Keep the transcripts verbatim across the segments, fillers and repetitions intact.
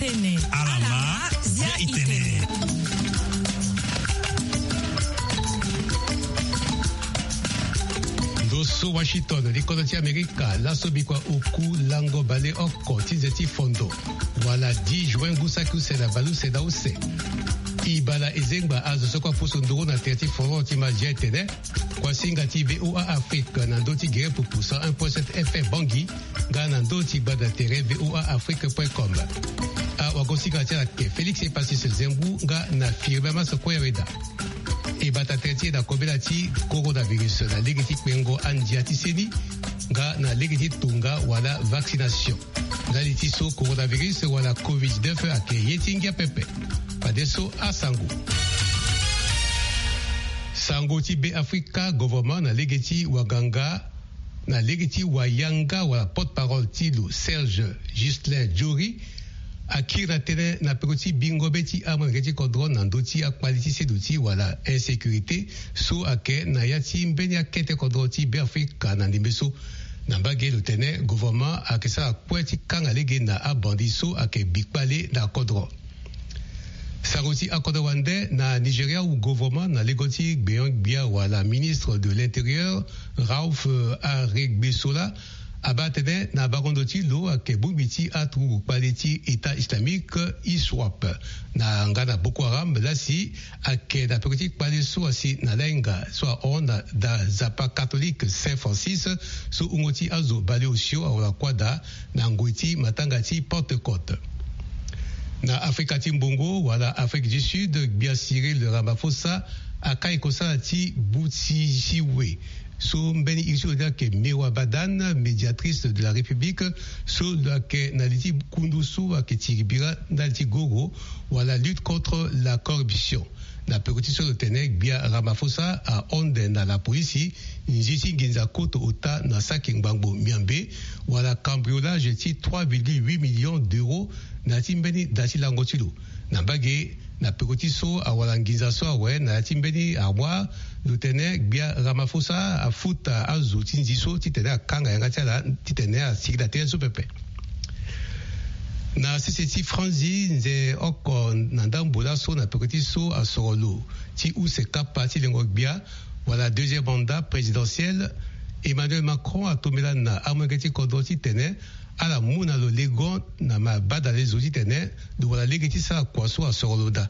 Tene. Alama, zia itene. Ndo so Washington, li kodro ti Amerika, laso bikua oku lango baleoko ti nze ti fondo, wala dix juin ngu saki use na baleuse na use. E bala e zengba azo so kue apusu nduru na tere ti fondo ti ma zia itene. Kuasinga ti VOA Afrique na ndö ti gere pupu cent un point sept F M Bangui, nga na ndö ti gbanda tere VOA Afrique point com. Awagosinga ti ala ayeke Félix Epasis Zembu nga na Firmin Masoko Yaweda. E bata tere ti e na kobela ti coronavirus na lege ti kpengo andia ti seni, nga na lege ti tonga wala vaccination. Ndali ti so coronavirus wala covid dix-neuf ayeke ye ti ngia pepe. Fadeso asango. Sango ti Beafrika, governement na lege ti waganga, na lege ti wayanga wala porte-parole ti lo, Serge Justin Jory, akiri na tënë na peko ti bingo be ti amolenge ti kodro na ndö ti akpali ti seduti wala insécurité so ayeke na ya ti mbeni akete kodro ti Beafrika na ndembe so. Na mbage lo tene gouvernement ayeke sara kue ti kanga lege na abandi so ayeke bi kpale na kodro. Sango ti akodro wande na Nigeria, gouvernement na lege ti gbenyo-gbia wala ministre de l'intérieur, Rauf, euh, Aregbesola, abaa tënë na bango ndo ti lo ayeke bongbi ti aturugu kpale ti État islamique, iswap, na nga na Boko Haram lasi ayeke na peko ti kpale so asi na lainga so ahon na da nzapa catholique Saint Francis, so wungo ti azo baleosio awara kuâ daa na ngoi ti matanga ti Pentecôte. Na Afrika ti mbongo wala Afrique du Sud, gbia Cyril Ramaphosa akai kosala ti buti siwe so mbeni iri ti lo ni ayeke Mewa Badan, médiatrice de la République, so lo yeke na li ti kundu so ayeke tiri bira ndali ti goro wala lutte contre la corruption. Na peko ti so lo tene gbia Ramaphosa ahon ande na lapolisi nzi ti nginza koto ota na saki ngbangbo miambe wala cambriolage ti trois virgule huit millions d'euros na ya ti mbeni da ti lango ti lo. Na mbage, na peko ti so awara nginza so awe na ya ti mbeni armoire, lo tene gbia Ramaphosa afuta azo ti nzi so titene akanga yanga ti ala titene asigi na tere so pepe. Na sese ti Franzi, nze oko na ndambo laso na peko ti so asoro lo ti use kapa ti lengo gbia wala deuxième mandat présidentiel, Emmanuel Macron atombela na amolenge ti kodro titene ala mu na lo legon na mabadalezo titene lo wara lege ti sara kua so asoro lo daa.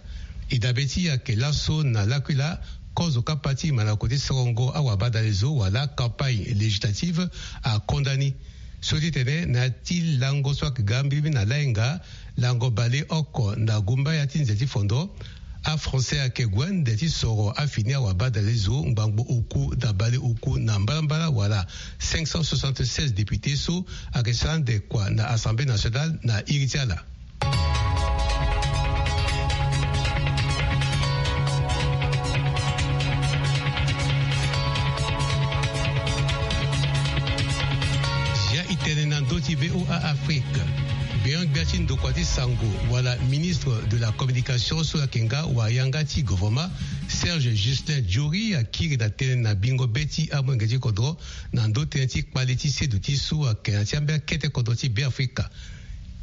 E dabe ti e ayeke laso na lakui-la, kozo kapa ti mandako ti sorongo awabadalezo wala campagne législative akonda ni. So ti tene na ya ti lango so ayeke ga mbirimbiri na lainga, lango baleoko na gumbaya ti nze ti fondo, aFrançais ayeke gue nde ti soro afini awabadalezo ngbangbo oku na baleoku na mbalambala wala cinq cent soixante-seize députés so ayeke sara ande kua na Assemblée nationale na iri ti ala. Zia e tene na ndö ti VOA Afrique. Gbenyo-gbia ti ndokua ti sango wala ministre de la communication so ayeke nga wayanga ti gouvernement, Serge Justin Jory, akiri na tënë na bingo be ti amolenge ti kodro na ndö tënë ti kpale ti seduti so ayeke na ya ti ambeni akete kodro ti Beafrika.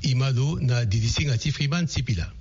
E ma lo na didi singa ti Freeman Sipila.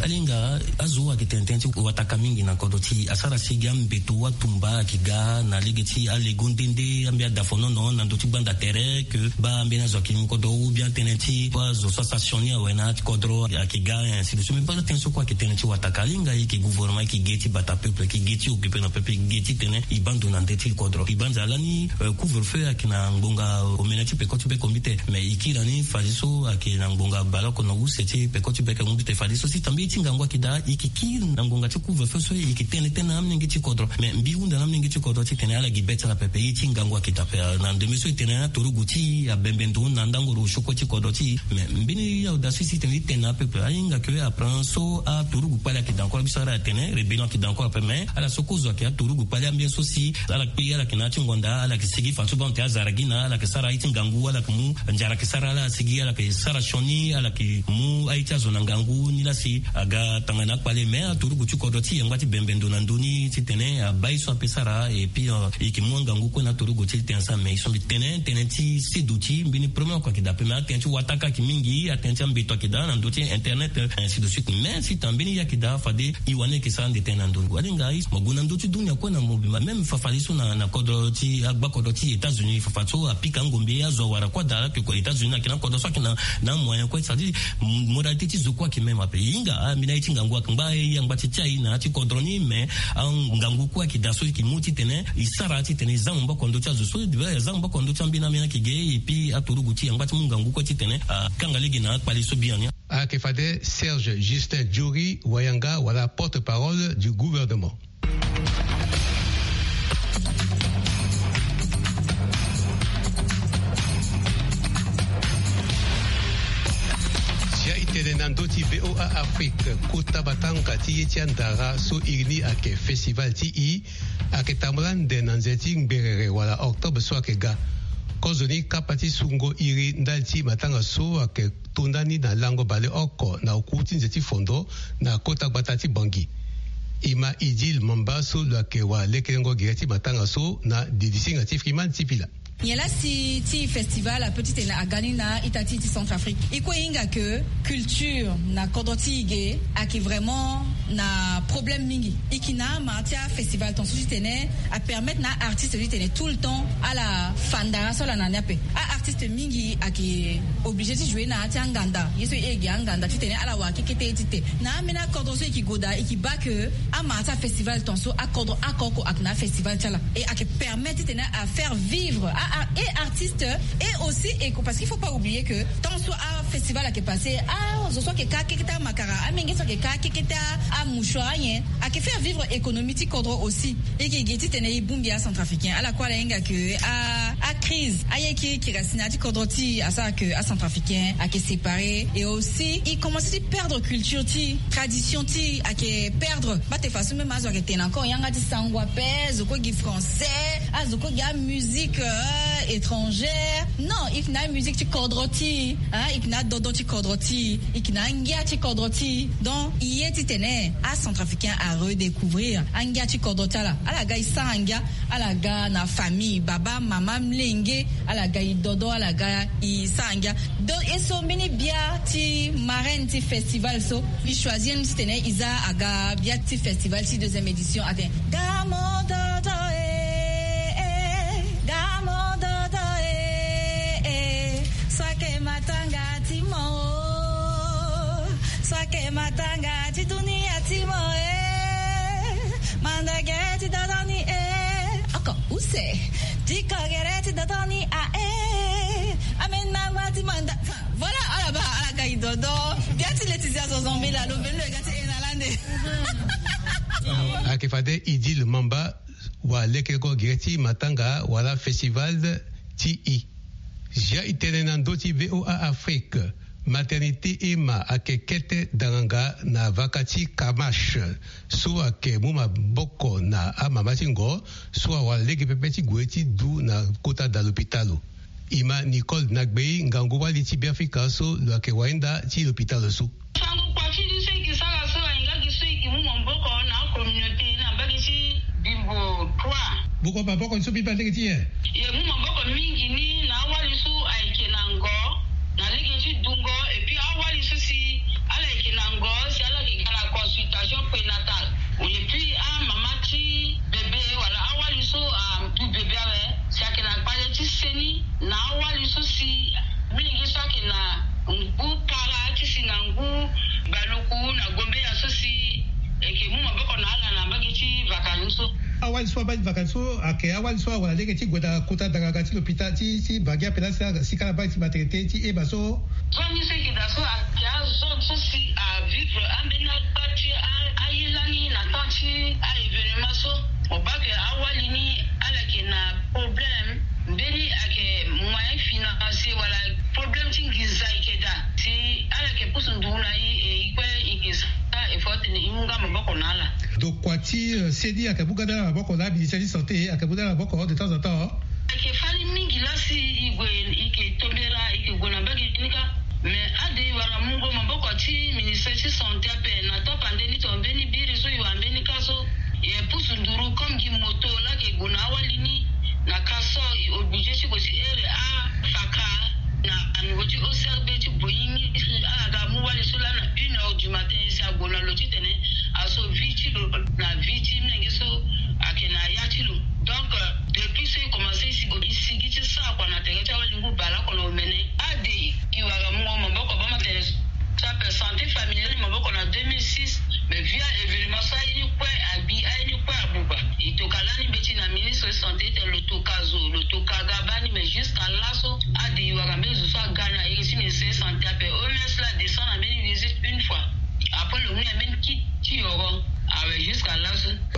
Alinga azo ayeke tene tënë ti wataka mingi na kodro ti e, asara si gi ambeto atumba ayeke ga na lege ti alego nde nde ambeni adafonono na ndö ti gbanda tere, ke baa ambeni azo ayeke mu kodro ou bien tënë ti azo so asara sioni awe na ya ti kodro ayeke ga, ainsi de suite. Mais baa tënë so kue ayeke tënë ti wataka. Alinga e yeke gouvernement, e yeke ge ti bata peuple, e yeke ge ti occuper na peuple, e yeke ge titene e baa ndo na ndö ti kodro. E banza lani, euh, couvre-feu ayeke na ngbonga omene ti peko ti beko mbi te. Mais e kiri na ni fadeso ayeke na ngbonga baleoko na use ti peko ti beko mbi te. Fadeso si tambe ye ti ngangu ayeke daa, e yeke kiri na ngbonga ti couvre-feu so, e yeke tene tënë na amolenge ti kodro. Mais mbi hunda na amolenge ti kodro titene ala gi be ti ala pepe, ye ti ngangu ayeke daa ape. Na ndembe so e tene na aturugu ti e abembe ndo na ndango ro sioko ti kodro ti e. Mais mbeni audace si tene e tene na apeuple, ahinga ke après so aturugu kpale ayeke daa encore, biso ala tene rébellion ayeke daa encore ape. Mais ala so kozo ayeke aturugu kpale ambeni so si ala kpe, ala yeke na ya ti ngonda, ala yeke sigi fa so baa ante azara gi na ala yeke sara aye ti ngangu, ala yeke mu nzara yeke sara ala asigi, ala yeke sara sioni, ala yeke mu aye ti azo na ngangu ni laa si Aga tanga na akpale me aturugu ti kodro ti yangba ti bembe ndo na ndoni titene abaa ye so ape sara. Et puis e yeke mu angangu kue na aturugu ti tene asara me ye so mbi tene tënë ti sedo ti mbeni problème oko ayeke daa ape me atënë ti wataka ayeke mingi atënë ti ambeto ayeke daa na ndö ti internet, ainsi de suite. Mais si tene mbeni ye ayeke daa fade e wani ayeke sara ande tënë na ndoni walenga mo gue na ndö ti dunia kue na mobimba même fafade so na kodro ti agba kodro ti États-Unis fafa so apika angombe azo awara kue daa ala yeke ko États-Unis ayeke na kodro so ayeke na amoyen kue c'est à dire modalité ti zo kue ayeke même ape e hinga ambeni aye ti ngangu ayeke ngba e yangba ti ti aye na ya ti kodro ni mais angangu kue ayeke daa so e yeke mu titene e sara titene e za maboko na ndö ti azo so e za maboko na ndö ti ambeni ambeni ayeke ge. Et puis aturugu ti yangba ti mu ngangu kue titene akanga lege na akpale so biani. Ayeke fade Serge Justin Jory wayanga wala porte-parole du gouvernement. Sia e tene na ndö ti V O A Afrique kota matanga ti ye ti andara so iri ni ayeke festival ti e ayeke tambula ande na nze ti ngberere wala octobre so ayeke ga. Kozoni kapa ti sungo iri ndali ti matanga so ayeke to ndani na lango baleoko na oku ti nze ti fondo na kota gbata ti Bangui. E ma Idil Mamba so lo yeke wa lekerengo gere ti matanga so na didisinga ti Freeman Sipila. Nyen laa si ti festival ape titene aga ni na ita ti e ti Centrafrique? E kue e hinga ke culture na kodro ti e ge ayeke vraiment na problème mingi. E yeke na ama ti afestival tongaso titene apermettre na aartiste titene tout le temps ala fa ndara so ala na ni ape. Aartiste mingi ayeke obligé ti jouer na ya ti anganda ye so e ge anganda titene ala wara kekete ye ti te. Na ambeni akodro so e yeke gue daa e yeke baa ke ama ti afestival tongaso akodro oko oko ayeke na afestival ti ala. E ayeke permettre titene afaire vivre a, a, e artiste. Et aussi e, parce qu'il faut pas oublier que tant so afestival ayeke passe, azo so ayeke ka kekete amakara, amenge so ayeke ka kekete amouchoir, anyen ayeke faire vivre économie ti kodro aussi. E yeke ge titene e bongbi acentrafricain ala kue ala hinga ke a, acrise aye ki kiri asi na ya ti kodro ti e asara ke acentrafricain ayeke séparé. Et aussi e commence ti perdre culture ti e, tradition ti e ayeke perdre. Bate façon même azo ayeke tene encore yanga ti sango ape, azo kue gi français, azo kue gi amusique étrangère. Non, e yeke na amusique ti kodro ti e. E yeke na adodo ti kodro ti e, e yeke na angia ti kodro ti e. Donc e ye titene acentrafricain aredécouvrir angia ti kodro ti ala. Ala ga e sara ngia, ala ga na famille, baba, mama, mlenge, ala ga e dodo, ala ga e sara ngia. Donc e so mbeni bia ti marraine ti festival so e choisir ni titene e za aga bia ti festival ti deuxième édition atene. Gamo dodo e, e, gamo dodo e, e, so ayeke matanga ti mo o, so ayeke matanga ti dunia ti mo e, mandagere ti dodo ni e, oko use ti kogere ti dodo ni a e, ameni na ngba ti manda. Voilà, ala baa ala ga e dodo. Bia ti Laetitia Zozombe laa lo mbeni lo e ga ti e na lande. Ayeke fade Idil Mamba wa lekerengo gere ti matanga wala festival ti e. Zia e tene na ndö ti V O A Afrique, maternité Emma ayeke kete daranga na vaka ti Kamash so ayeke mu maboko na amama ti ngo so awara lege pepe ti gue ti du na kota da lopitalo. E ma Nicole Nagbei, ngangu wali ti Beafrika so lo yeke wainda ti lopitalo so. Sango kua ti ni so e yeke sara so ahinga gi so e yeke mu maboko na acommunauté na mbage ti Bimbo trois. Buko maboko ni so mbi baa lege ti nyen? E mu maboko mingi ni na awali so ayeke na ngo na lege ti dungo, et puis awali so si ala yeke na ngo si ala yeke ga na consultation prénatale, et puis amama ti bébé wala awali so adu bébé awe si ayeke na kpale ti seni, na awali so si mingi so ayeke na ngu para ti si na ngu baluku na gombeya so si e yeke mu maboko na ala na mbage ti vacances so. Awali so abaa ti vacances so ayeke awali so awara lege ti gue na kota daranga ti lopitalo ti, ti Bangi ape laa si ala, si kala mbage ti maternité ti Emma so. Zone ni so e yeke daa so ayeke azone so si avivre ambeni agba ti a, aye lani na temps ti a-événement so. Mo baa ke awali ni ala yeke na problème, mbeni ayeke moyen financier wala problème ti nginza e yeke daa. Si ala yeke pusu nduru na e, e kue e yeke sara effort titene e mu nga maboko na ala. Donc kua ti, euh, seni ayeke mu nga na ala maboko na aministère ti santé ayeke mu nga na ala maboko de temps en temps. Ayeke fani mingi laa si e gue e yeke tombela e yeke gue na mbage ni kâ. Mais ade e wara mungo maboko ti ministère ti santé ape na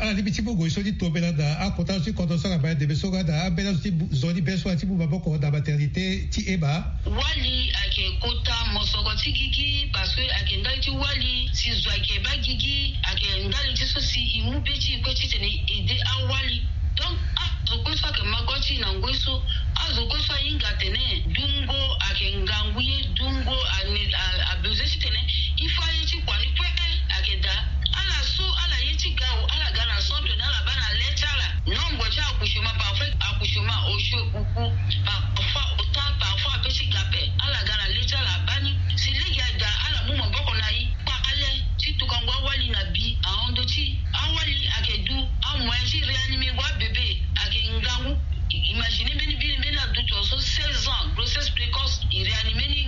Ala lingbi ti mu ngoi so ti tombela na akota zo ti kodro so ala baa ndembe so nga na ambeni azo ti bu- zo ni be so ala ti mu maboko na maternité ti ema. Wali ayeke kota mosoko ti gigi parce que ayeke ndali ti wali si zo ayeke baa gigi ayeke ndali ti so si e mu be ti e kue titene e aide awali. Donc azo kue so ayeke ma go ti e na ngoi so, azo kue so ahinga atene dungo ayeke ngangu ye, dungo ane- a- abezoin titene e fa ye ti kua ni kue. Ayeke daa ala so ala ye ti ga o, ala ga na centre ni ala baa na le ti ala. Nombre ti accouchement, parfois accouchement osio kuku, parfois ota, parfois ape ti ga ape. Ala ga na le ti ala abaa ni si lege adaa ala mu maboko na e kpale ti tukango awali na bi ahon ndö ti e. Awali ayeke du amoyen ti réanimengo abebe ayeke ngangu. Imagine mbeni mbeni mbeni aduti so seize ans grossesse précoce, e réanime ni,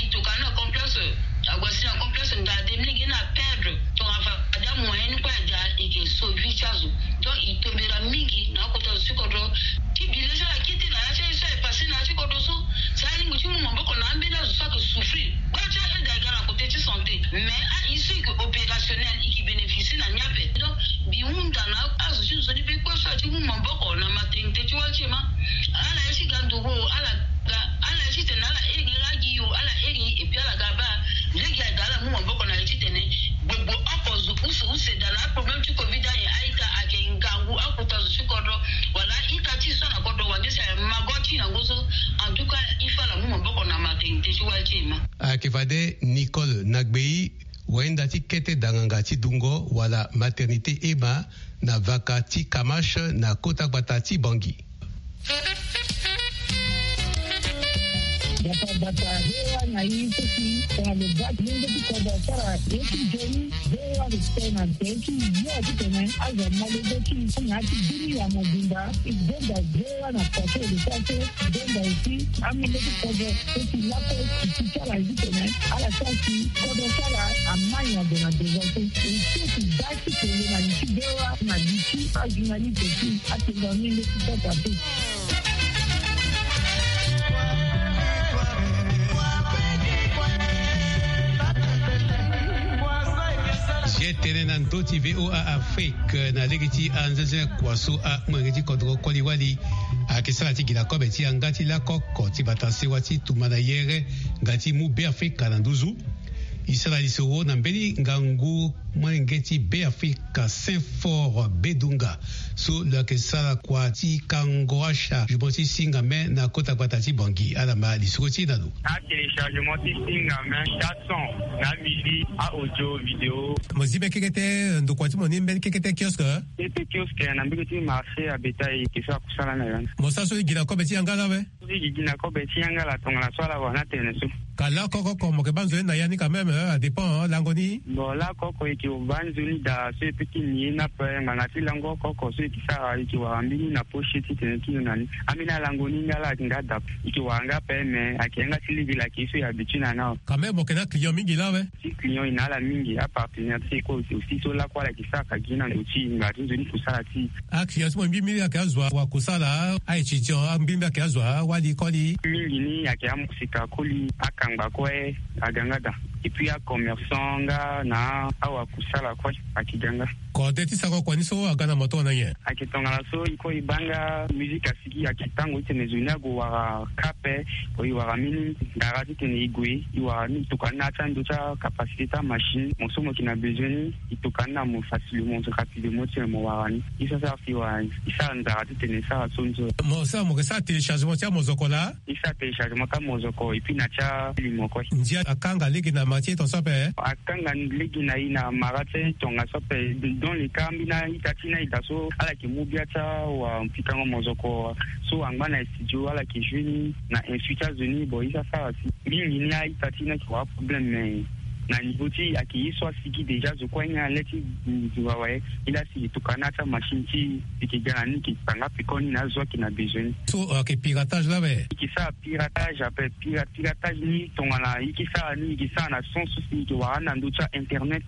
e tokua ni na complexe. Ague asi na complexe ndaa de, mbeni ge ni aperdre. Tongana fade amoyen ni kue adaa, e yeke sauve vie ti azo. Donc e tombela mingi na akota zo ti kodro. Ti bi le so ala kete na ya ti aye so aye passe na ya ti kodro so, si alingbi ti mu maboko na ambeni azo so ayeke souffrir. Kpale ti aide aga na côté ti santé, mais aye so e yeke opérationnel e yeke bénéficier na ni ape. Donc mbi hunda na azo ti nzoni be kue so ati mu maboko na maternité ti wali ti ema. Ala ye ti ga ndugu o, ala ga, ala ye titene ala iri agi yo, ala iri, et puis ala ga baa lege aga ala mu maboko na ye titene gbogbo oko zo use use daa na aproblème ti covid aye. A-ita ayeke ngangu akota zo ti kodro wala a-ita ti e so na kodro wande si aye ma go ti e na ngu so. En tout cas il faut ala mu maboko na maternité ti wali ti ema. Ayeke fade Nicole Nagbei, wayenda ti kete danganga ti dungo wala maternité ema na vaka ti Kamash na kota gbata ti Bangui. Gbata gbata, V O A na i so si tongana lo baa ti lenge ti kodro asara ye ti nzoni, V O A lo tene na nze ti yo titene azo ama lege ti i na ya ti bini ya mobimba. I gbenda V O A na kua so e lo sara so, i gbenda aussi amolenge ti kodro so si lakue ti ti ala ye titene ala sara si kodro ti ala ama nyango na devant so. E so si baa ti kele na li ti V O A na li ti ajournaliste ti atenda ni nde ti kota te. Ye tene na ndö ti V O A Afrique na lege ti anzenze kua so amolenge ti kodro koli wali ayeke sara ti gi na kobe ti yanga ti lakoko ti bata sewa ti tumba na yere nga ti mu Beafrika na nduzu. E sara lisoro na mbeni ngangu molenge ti Beafrika Saint Fort Bedunga so lo yeke sara kua ti kango achargement ti singame na kota gbata ti Bangui. Ala ma lisoro ti e na lo. Atéléchargement ti singame, quatre cents na mili, a audio, vidéo. Mo zi be kekete ndokua ti mo ni mbeni kekete kiosque. Kekete kiosque na mbege ti marché a bétail, e ke so akusala na ya ni. Mo sara so e gi na kobe ti yanga la awe? Soki e gi na kobe ti yanga la tongana so ala wara ni atene so. Ka lakoko oko mo yeke baa nzoni na ya ni quand même, euh, adépend, euh, lango ni. Bon, lakoko e yeke baa nzoni daa so e peut ti ni ye ni ape, ngbanga ti lango oko oko so e yeke sara, e yeke wara mbeni na poche titene ti lo na ni. Ambeni alango ni nga la ayeke nga dape. E yeke wara nga ape, mais ayeke yanga ti lege la ayeke ye so e habitue na ni awe. Quand même mo yeke na client mingi la awe? Ti client e na ala mingi, apartenaire ti e kue aussi so lakue ala yeke sara ka gi na ndö ti e, ngbanga ti nzoni kusala ti e. Aclient ti mo mbi mbi ayeke azo akusala, a-étudiant mbi mbi ayeke azo awali koli. Mingi ni ayeke amosika koli, akangba kue aga nga daa. Et puis acommerçant nga na awakusala kue ayeke ga nga. Kode ti sako kua ni so aga na mo tongana nyen? Ayeke tongana so e kue e baa nga musique asigi, ayeke tango ti tene zo ni ague wara ka ape. Bon, e wara mbeni ndara ti tene e gue e wara ni, e tokua ni na ya ti ando ti acapacité ti amachine. Mo so mo yeke na besoin ni, e tokua ni na mo facilement, rapidement ti tene mo wara ni. E so asara si e wara ni, e sara nzara ti tene e sara so ni so. Mo sara, mo yeke sara téléchargement ti amozoko laa? E sara téléchargement ti amozoko et puis na ti alimo kue. Ndia akanga lege na mara ti e tongaso ape? Akanga lege na e na mara ti e tongaso ape. Dans le cas ambeni a-ita ti ni aye daa so ala yeke mu bia ti awapikango mozoko so angba na studio, ala yeke joue ni na insu ti azo ni. Bon, e sara sara si mingi ni a-ita ti ni ayeke wara problème, mais na niveau ti e ayeke ye so asigi déjà, zo kue anyen na le ti nzunga awe. E laa si e tokua ni na ya ti amachine ti e, e yeke ga na ni, e yeke tanga peko ni na azo ayeke na besoin ni. So ayeke piratage laa awe? E yeke sara piratage ape. Pira- piratage ni tongana e yeke sara ni, e yeke sara na sens so si e yeke wara ni na ndö ti a-internet.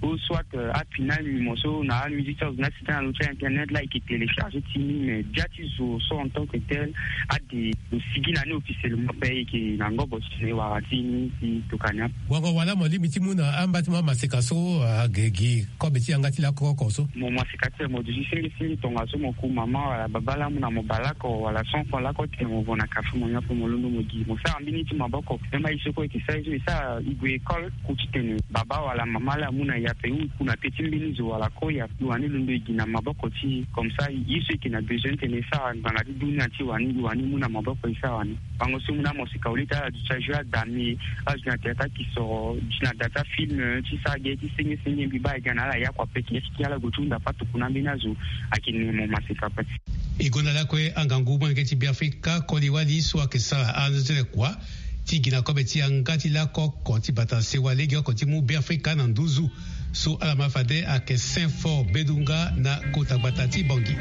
ou soit apinal nimo so na amusique so azo na site na lo ti internet la eke télécharger ti ni, mais bia ti zo so en tant que tel ade lo sigi na ni officiellement pe eke na ngobo ti tene wara ti ni ti tokani ape. Wango wala mo lingbi ti mu na amba ti mo amaseka so age gi kobe ti yanga ti lakoko so? Mo maseka ti mo duti sengi sengi tongaso mo ku mama wala baba la amu na mo bale oko wala cent francs lako tene mo vo na kafe mo nyon ape mo londo mo gi mo sara mbeni ti maboko. Même aye so kue eke sara ye so e sara e gue école ku ti tene baba wala mama la amu na e ape ou e ku na pe ti mbeni zo wala koi ape e wani londo e gi na maboko ti e. Comme ça ye so eke na besoin ti tene e sara ngbanga ti dunia ti e wani e wani mu na maboko e sara wani. Bango so e mu na mo sika au lieu ti ala duti ajoue adame azo na théâtre akisoro duti na da ti afilm ti sara ge ti senge senge mbi baa e ga na ala ya kua pe ti ala gue ti hunda patokuna mbeni azo. Ayeke nene mo maseka pe. E gonda lakue angangu molenge ti Beafrika koli wali so ayeke sara anzere kua ti gi na kobe ti yanga ti lako oko ti bata sewa legeoko ti mu Beafrika na nduzu. So ala ma fade ayeke Saint Fort Bedunga na kota gbata ti Bangui.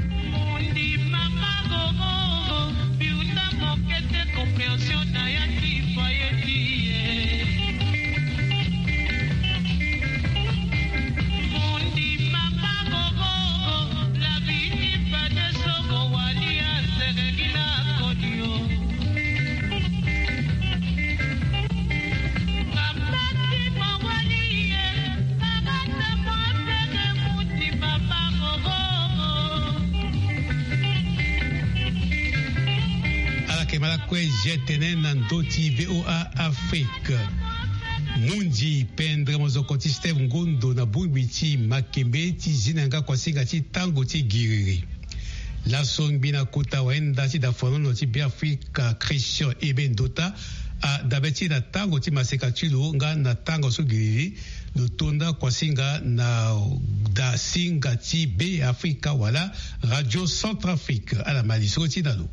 Ala yeke ma lakue je tene na ndö ti VOA Afrique. Mundi pendre mozoko ti Steve Ngondo na bongbi ti makembe ti zi na yanga kuasinga ti tango ti giriri. Laso ngbi na kota wayenda ti dafonono ti Beafrika Christian Ebe Ndota adabe ti e na tango ti maseka ti lo nga na tango so giriri. Lo tonda kuasinga na dasinga ti Beafrika wala Radio Centrafrique. Ala ma lisoro ti na lo.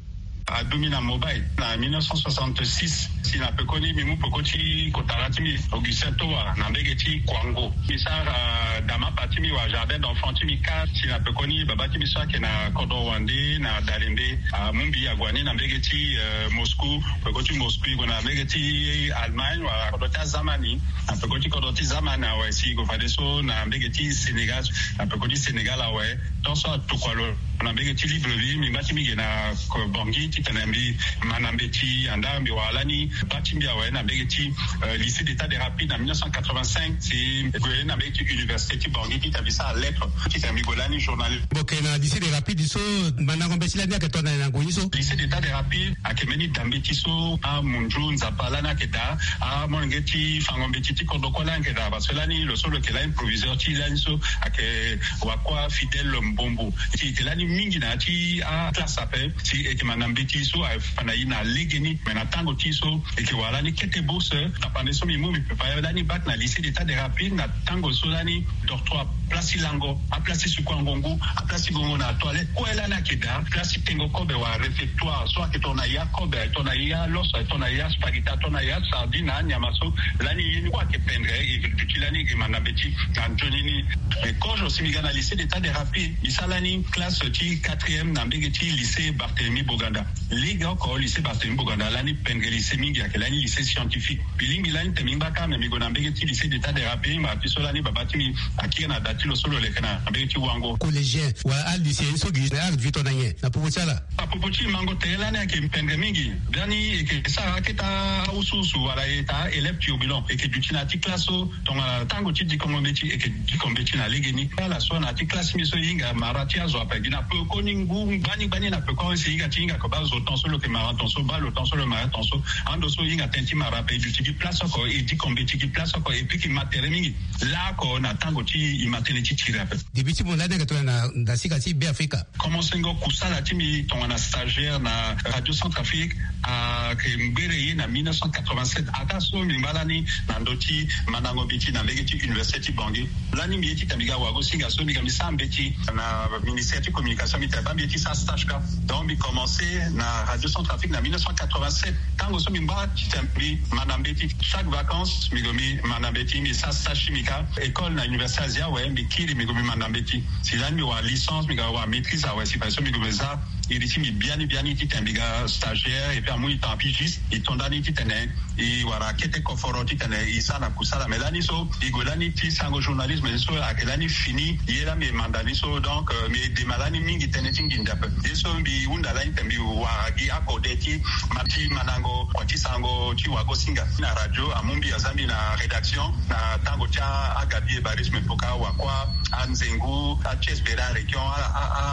Aduti na mobile na mille neuf cent soixante-six. Si na pekoni mbi mu peko ti kotara ti mbi Augustin Toa na mbege ti Kwango. Mbi sara damapa ti mbi wala jardin d'enfant ti mbi kâ. Si na pekoni baba ti mbi so ayeke na kodro wande na Dalembe amu mbi ague ni na mbege ti Moscou. Peko ti Moscou e gue na mbege ti Allemagne wala kodro ti azamani. Na peko ti kodro ti zamani awe si e gue fadeso na mbege ti Sénégal. Na peko ti Sénégal awe tant so atokua lo na mbege ti Libreville mbi ngba ti mbi ge na Bangui titene mbi ma na mbeti. Anda mbi wara lani baa ti mbi awe na mbege ti lycée d'État des Rapides na mille neuf cent quatre-vingt-cinq. Si mbi gue na mbege ti université ti Bangui titene mbi sara lettre titene mbi gue lani journaliste. Mbi yeke na lycée des Rapides so mandango mbeti lani ayeke tongana nyen na ngu ni so? Lycée d'État des Rapides ayeke mbeni da mbeti so amundju Nzapa lani ayeke daa amolenge ti fango mbeti ti kodro kue lani ayeke daa parce que lani lo so lo yeke lani proviseur ti lani so ayeke wakua Fidèle Mbombo. Si e yeke lani mingi na ya ti aclasse ape si e yeke ma na mbeti so aye fa na e na legeni. Me na tango ti e so e yeke wara lani kete bourse. Tapande so mbi mu mbi prépare lani bac na lycée d'État des Rapides na tango so lani dortoir, place ti lango, aplace ti suku angongu, aplace ti gongo na toilette kue lani ayeke daa. Place ti tengo kobe wala réfectoire so ayeke tongana ya kobe, ayeke tongana ya loso, ayeke tongana ya spaghetti, ayeke tongana ya sardine na anyama so lani ye ni kue ayeke pendre. E duti lani e ma na mbeti na nzoni ni. Mais kozo si mbi ga na lycée d'État des Rapides mbi sara lani classe ti quatrième na mbege ti lycée Barthélemy Boganda. Legeoko lycée Barthélemy Boganda lani pendre lycée mingi, ayeke lani lycée scientifique. Mbi lingbi lani tene mbi ngba kâ me mbi gue na mbege ti lycée d'État des Rapides. Mbi ma ti so lani baba ti mbi akiri na da ti lo so lo leke na mbege ti Wango. Collégien wala alycéen so gi na ardvito na nyen na popo ti ala? Apopo ti mango tere lani ayeke pendre mingi. Biani e yeke sara akete awusuwusu wala e ta élève turbulent. E yeke duti na ya ti classe so tongana tango ti dikongo mbeti e yeke diko mbeti na legeni. Ala so na ya ti classe ti mbi so e hinga mara ti azo ape gi na pekoni ngu gbani gbani na pekoni si e hinga ti hinga ko baa zo ton so lo yeke mara ton so baa lo ton so lo mara ton so. Ando so e hinga tënë ti mara ape e duti gi place oko e diko mbeti gi place oko e piki ma tere mingi. Laoko na tango ti e ma tënë ti tiri ape. Début ti mo lani ayeke tongana na ndasika ti Beafrika. Komansengo kusala ti mbi tongana stagiaire na Radio Centrafrique ayeke ngbere ye na mille neuf cent quatre-vingt-sept. Ataa so mbi ngba lani na ndö ti mandango mbeti na mbege ti université ti Bangui. Lani mbi ye titene mbi ga wagosinga so mbi ga mbi sara mbeti na ministère ti communication mbi tene baa mbi ye ti sara stage kâ. Donc mbi commencé na Radio Centrafrique na mille neuf cent quatre-vingt-sept. Tango so mbi ngba titene mbi ma na mbeti chaque vacances mbi gue mbi ma na mbeti mbi sara stage ti mbi kâ. École na université Asie awe mbi kiri mbi gue mbi ma na mbeti. Si lani mbi wara licence mbi ga wara maîtrise awe si fadeso mbi gue mbi za Iri ti mbi biani biani titene mbi ga stagiaire et puis amu e temps pigiste, e to ndani titene e wara kete koforo titene e sara na kusala. Mais lani so e gue lani ti sango journalisme ni so ayeke lani fini ye la mbi e manda ni so. Donc mbi e dema lani mingi tënë ti nginda ape. Ye so mbi hunda lani titene mbi wara gi akode ti ma ti mandango kua ti sango ti wagosinga na radio amu mbi aza mbi na rédaction na tango ti agabi ebarisme poka wakua anzengu atiesbere aregion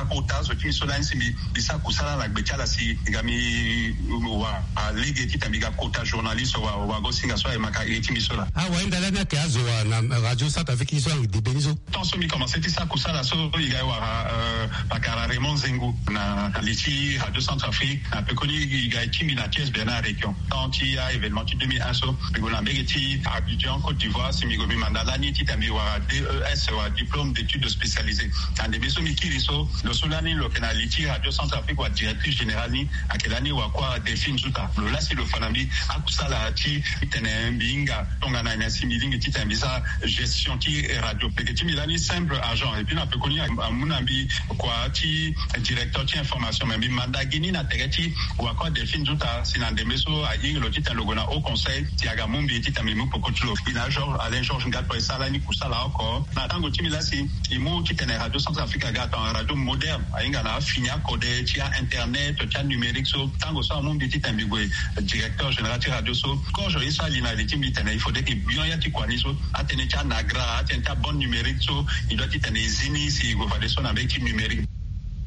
akota zo ti mbi so lani si mbi mbi sara kusala na gbe ti ala si e ga mbi wara lege titene mbi ga kota journaliste wagosinga so aye maka iri ti mbi so laa. Awahinda lani ayeke azo wa na radio centre afrique ni so ayeke debe ni so. Tant so mbi commence ti sara kusala so e ga e wara pakara raymond zengu na li ti radio centre afrique na pekoni e ga e ti mbi na atiesbere na aregion. Tant ti a-événement ti deux mille un so mbi gue na mbege ti abidjan côte d'ivoire si mbi gue mbi manda lani titene mbi wara des wala diplôme d'études spécialisées. Na ndembe so mbi kiri so lo so lani lo yeke na li ti radio centre afrique wala directrice générale ni ayeke lani wakua delphine zuta lo lasi lo fa na mbi akusala ti titene mbi hinga tongana nyen si mbi lingbi titene mbi sara gestion ti radio. Leke ti mbi lani simple agent et puis na pekoni amu na mbi kua ti directeur ti information mais mbi manda gi ni na tere ti wakua delphine zuta si na ndembe so ahinga lo titene lo gue na haut conseil si aga mu mbi titene mbi mu poko ti lo. Mbi na george alain george ngatoi e sara lani kusala oko na tango ti mbi lasi e mu titene radio centre afrique aga tongana radio moderne ahinga na afini akode ti a-internet ti anumérique so tango so amu mbi titene mbi gue directeur général ti radio so. George ye so ali na li ti mbi tene il faudrait ke bion ya ti kua ni so atënë ti anagra atënë ti abande numérique so e doit titene e zi ni si e gue fadeso na mbege ti numérique.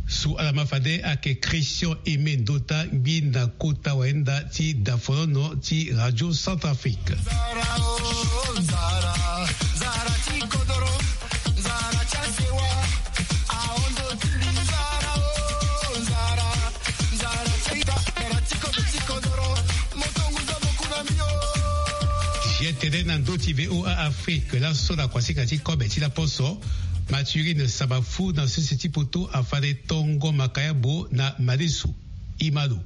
So ala ma fade ayeke christian aimé ndota ngbi na kota wayenda ti dafonono ti radio centre afrique. Tene na ndö ti voa afrique laso na kuasika ti kobe ti laposo. Maturine sabafu na sese ti poto afande tongo makayabo na madesu. Imalo.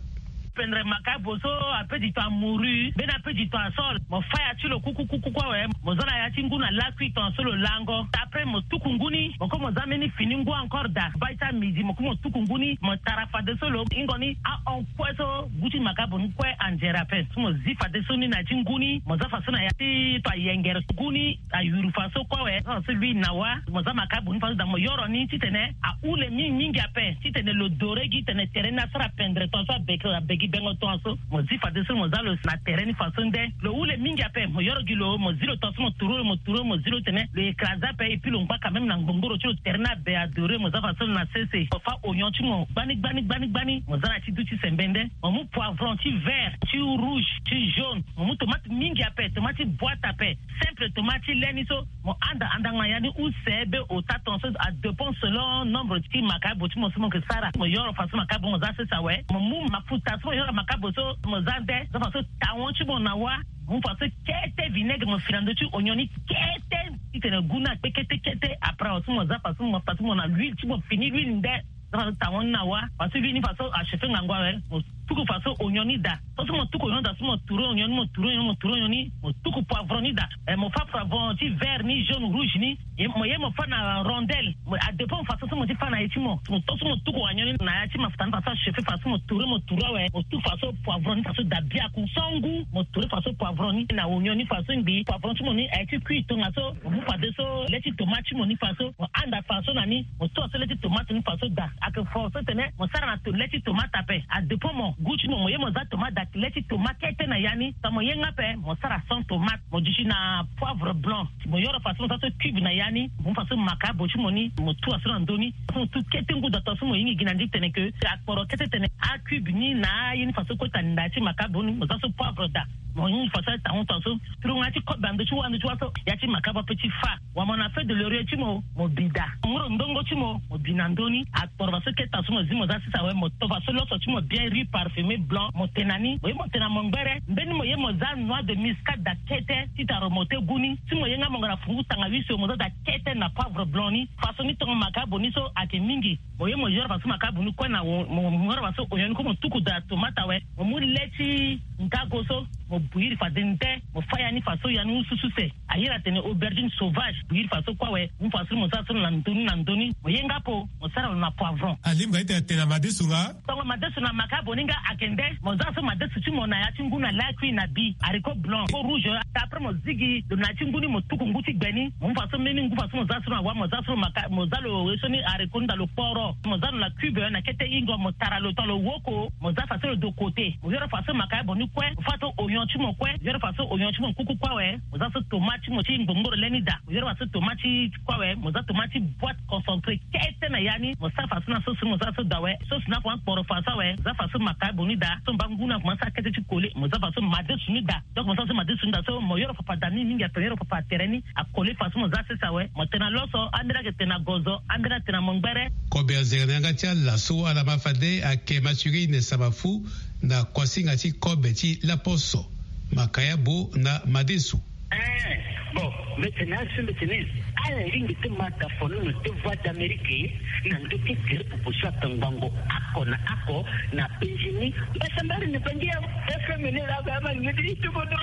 Pendre makayabo so ape di to amuru mbeni ape di to asol mo faya ti lo kukukuku awe. Mo za na ya ti ngu na lakui tonga so lo lango ta pe mo tuku ngu ni mo ko mo za mbeni fini ngu encore da bai ti amidi mo ko mo tuku ngu ni mo tara fadeso lo hingo ni ahon kue so gu ti makayabo ni kue anzere ape. So mo zi fadeso ni na ya ti ngu ni mo za faso na ya ti to ayengere ngu ni ayuru faso kue awe. Faso lui na wa mo za makayabo ni faso da mo yoro ni titene ahule mingi mingi ape titene lo dore gi tene tere ni asara pendre tonga so abegi bengo tonga so. Mo zi fadeso mo za lo na tere ni faso nde lo hule mingi ape mo yoro gi lo mo zi lo tonga so mo turu lo mo turu lo mo zi lo tene lo écrase ape et puis lo ngba quand même na ngbongoro ti lo tere ni abe adore mo za faso lo na sese mo fa ognon ti mo gbani gbani gbani gbani mo za na ti du ti sembe nde mo mu poivron ti vert ti rouge ti jaune mo mu tomate mingi ape tomate ti boite ape simple tomate ti le ni so mo anda andango na ya ni use be ota tonga so adépend selon nombre ti makayabo ti mo so mo yeke sara mo yoro faso makayabo mo za sese awe mo mu mafuta so mo yoro makayabo so mo za nde za faso tawon ti mo na wa mo mu faso kete vinaigre mo fi na ndö ti ognon ni kete titene gu ni akpe kete kete après awe so mo za faso mo faso mo na l'huile ti mo fini l'huile nde. Za faso tawon ni na wa faso l'huile ni faso achauffe ngangu awe mo tuku faso ognon ni daa. So so mo tuku ognon ni daa so mo turu ognon ni mo turu ognon ni mo turu ognon ni mo tuku poivron ni daa. Mo fa poivron ti vert ni jaune rouge ni mo ye mo fa na rondelle. Adépend faso so mo ti fa na ye ti mo mo to so mo tuku ognon ni na ya ti mafuta ni faso achauffe faso mo turu mo turu awe mo tuku faso poivron ni faso daa biaku so ngu mo turu faso poivron ni na ognon ni faso ngbii poivron ti mo ni aye ti kui tongaso. Mo mu fadeso le ti tomate ti mo ni faso mo anda faso na ni mo tua so le ti tomate ni faso daa. Ayeke fo so tene mo sara na to le ti tomate ape adépend mo gu ti mo mo ye mo za tomate daa le ti tomate kete na ya ni sa mo ye nga ape mo sara sans tomate mo duti na poivre blanc. Mo yoro faso mo za so cube na ya ni mo mu faso makayabo ti mo ni mo tua so na ndö ni. Faso mo tu kete ngu daa tongaso mo hingi gi na ndi tene ke akporo kete tene acube ni na aye ni faso kota na ya ti makayabo ni mo za so poivre daa. Mo hingi faso aye tango tongaso turongo ya ti kobe na ndö ti wa ndö ti wa so ya ti makayabo ape ti fa. Wa mo na feuille de laurier ti mo mo bi daa mo mu lo ndongo ti mo mo bi na ndö ni. Akporo faso kete tongaso mo zi mo za sese awe mo to faso loso ti mo bien riz parfumé blanc mo te na ni mo ye mo te na mo ngbere mbeni mo ye mo za noix de muscade daa kete ti ta remonter gu ni. Si mo ye nga mo nga na fungu tanga huit so mo za daa kete na poivre blanc ni. Faso ni tongo makayabo ni so ayeke mingi. Mo ye mo yoro faso makayabo ni kue na mo yoro faso ognon ni kue mo tuku daa tomate awe mo mu le ti nkago so. Mo bouillir fade nde mo fa ya ni faso ya ni usususe. Ayere atene aubergine sauvage, bouillir faso kue awe. Mu faso ni mo za so na ndoni na ndoni, mo ye nga po mo sara lo na poivron. Alingba ete atene na madesu nga. Tongo madesu na maka boni nga ake nde mo za so madesu ti mo na ya ti ngu na lakui na bi haricot blanc ko rouge. Après mo zigi lo na ya ti ngu ni, mo tuku ngu ti gbe ni, mo mu faso mbeni ngu faso mo za so na wa, mo za so maka, mo za lo ye so ni haricot ni da lo kporo, mo za lo na cube na kete ingo, mo tara lo to lo woko, mo za faso lo de côté. Mo yoro faso maka ya boni kue, mo fa to oignon ti mo kue, mo yoro faso oignon ti mo kuku kue awe. Mo za so tomate ti mo ti ngbongboro leni da, mo yoro faso tomate ti kue awe. Mo za tomate ti boîte concentré kete na ya ni, mo sa faso na so so mo za so da awe. So si na fo akporo faso awe, mo za faso maka ya boni da so mba ngu na fo mo sa kete ti kole, mo za faso madesu ni da. Donc mo sa so madesu ni da so mo yoro papa da ni mingi ape, yoro papa tere ni akole faso mo za sese awe. Mo tena loso, ambeni ake tena gozo, ambeni atena mongbere. Kobe azere na yanga ti ala so ala ma fade ake maturine saba fu na kuasinga ti kobe ti laposo, makayabo na madesu. Eh, bon, mbetene asi mbetene. Ala lingbi ti ma da fonono ti voix d'Amérique na ndo ti gere popo so atangbango ako na ako na penzi ni. Mbasambari ni bangi ya F M ni la ba ma ngedi ti bodo.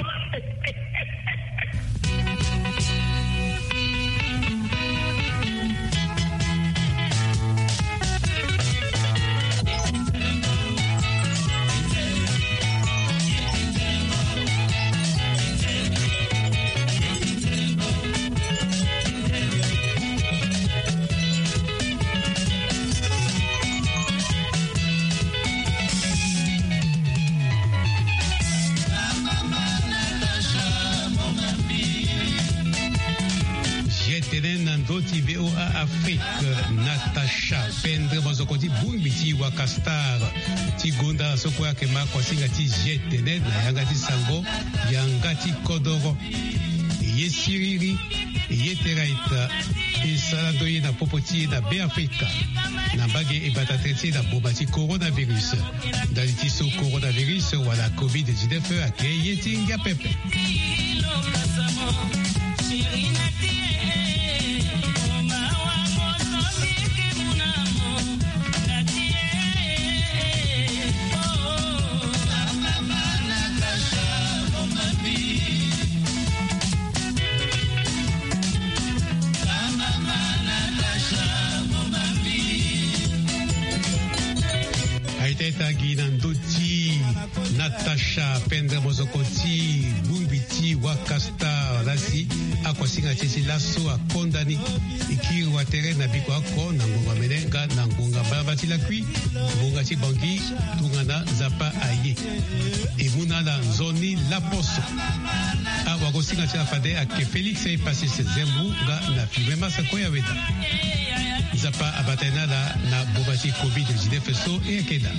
G T N na ndo ti V O A Afrique, Natacha Pendre, mozoko ti bongbi ti Wakastar ti gonda so kue ayeke ma kuasinga ti G T N na yanga ti sango yanga ti kodoro. Ye siriri, ye tera ita, e sara ndo ye na popo ti e na Beafrika na mbage e bata tere ti e na boma ti coronavirus. Ndali ti so coronavirus wala covid dix-neuf ayeke ye ti ngia pepe. Aita ita gi na ndö ti Natacha Pendre, mozoko ti bongbi ti Wakastar, la si akuasinga ti e ti laso akonda ni. E kiri watere na biko oko na ngonga mene nga na ngonga mbalamba ti lakui, ngonga ti Bangui, tongana Nzapa aye. E mu na ala nzoni laposo. Awagosinga ti ala fade ayeke Félix Epasis Zembu nga na Fibe Masa Koya Weda. Nzapa abata ye na ala na boma ti covid dix-neuf so e yeke daa.